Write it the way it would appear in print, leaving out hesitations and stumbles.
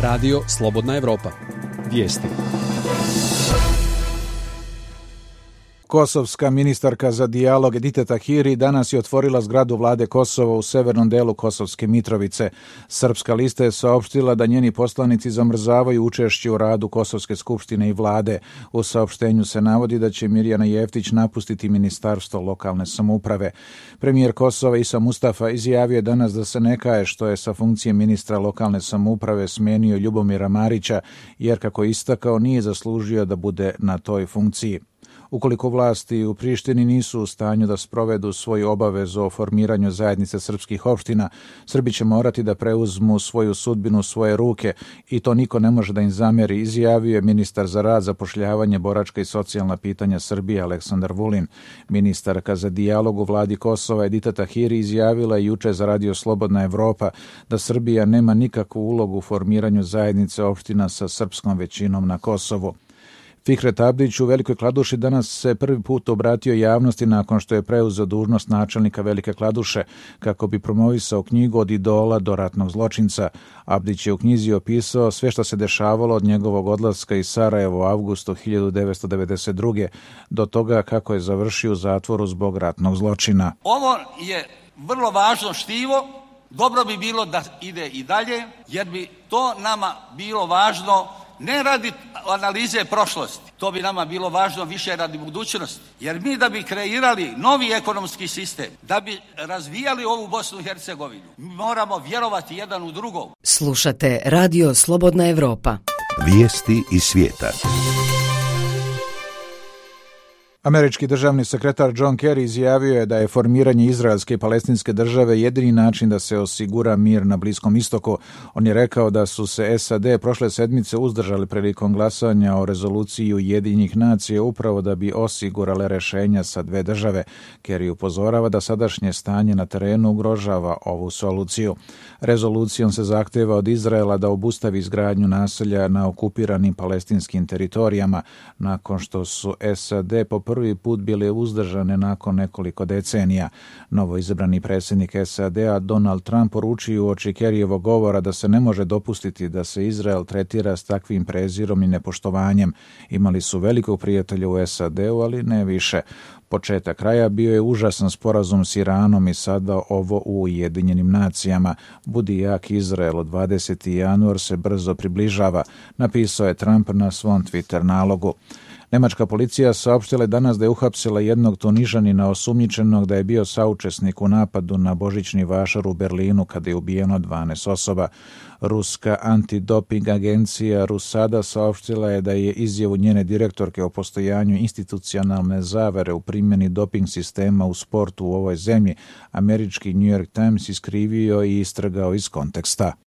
Radio Slobodna Evropa. Vijesti. Kosovska ministarka za dijalog Edita Tahiri danas je otvorila zgradu vlade Kosova u severnom delu Kosovske Mitrovice. Srpska lista je saopštila da njeni poslanici zamrzavaju učešće u radu Kosovske skupštine i vlade. U saopštenju se navodi da će Mirjana Jeftić napustiti Ministarstvo lokalne samouprave. Premijer Kosova Isa Mustafa izjavio je danas da se ne kaje što je sa funkcije ministra lokalne samouprave smenio Ljubomira Marića, jer kako je istakao nije zaslužio da bude na toj funkciji. Ukoliko vlasti u Prištini nisu u stanju da sprovedu svoju obavezu o formiranju zajednice srpskih opština, Srbi će morati da preuzmu svoju sudbinu u svoje ruke i to niko ne može da im zamjeri, izjavio je ministar za rad, zapošljavanje, boračka i socijalna pitanja Srbije Aleksandar Vulin. Ministarka za dijalog u vladi Kosova Edita Tahiri izjavila je juče za Radio Slobodna Evropa da Srbija nema nikakvu ulogu u formiranju zajednice opština sa srpskom većinom na Kosovu. Fikret Abdić u Velikoj Kladuši danas se prvi put obratio javnosti nakon što je preuzeo dužnost načelnika Velike Kladuše kako bi promovisao knjigu Od idola do ratnog zločinca. Abdić je u knjizi opisao sve što se dešavalo od njegovog odlaska iz Sarajeva u avgustu 1992. do toga kako je završio u zatvoru zbog ratnog zločina. Ovo je vrlo važno štivo, dobro bi bilo da ide i dalje, jer bi to nama bilo važno ne radi analize prošlosti, to bi nama bilo važno više radi budućnosti. Jer mi da bi kreirali novi ekonomski sistem, da bi razvijali ovu Bosnu i Hercegovinu, moramo vjerovati jedan u drugog. Slušate Radio Slobodna Evropa. Vijesti iz svijeta. Američki državni sekretar John Kerry izjavio je da je formiranje izraelske i palestinske države jedini način da se osigura mir na Bliskom istoku. On je rekao da su se SAD prošle sedmice uzdržali prilikom glasanja o rezoluciji Ujedinjenih nacija upravo da bi osigurale rešenja sa dve države. Kerry upozorava da sadašnje stanje na terenu ugrožava ovu soluciju. Rezolucijom se zahteva od Izraela da obustavi izgradnju naselja na okupiranim palestinskim teritorijama, nakon što su SAD po prvi put bile uzdržane nakon nekoliko decenija. Novoizabrani predsjednik SAD-a Donald Trump poručio uoči Kerryjevog govora da se ne može dopustiti da se Izrael tretira s takvim prezirom i nepoštovanjem. Imali su velikog prijatelja u SAD-u, ali ne više. Početak kraja bio je užasan sporazum s Iranom i sada ovo u Ujedinjenim nacijama. Budi jak Izrael, od 20. januar se brzo približava, napisao je Trump na svom Twitter nalogu. Nemačka policija saopštila je danas da je uhapsila jednog Tunižanina osumnjičenog da je bio saučesnik u napadu na božićni vašar u Berlinu kada je ubijeno 12 osoba. Ruska antidoping agencija Rusada saopštila je da je izjavu njene direktorke o postojanju institucionalne zavere u primjeni doping sistema u sportu u ovoj zemlji američki New York Times iskrivio i istrgao iz konteksta.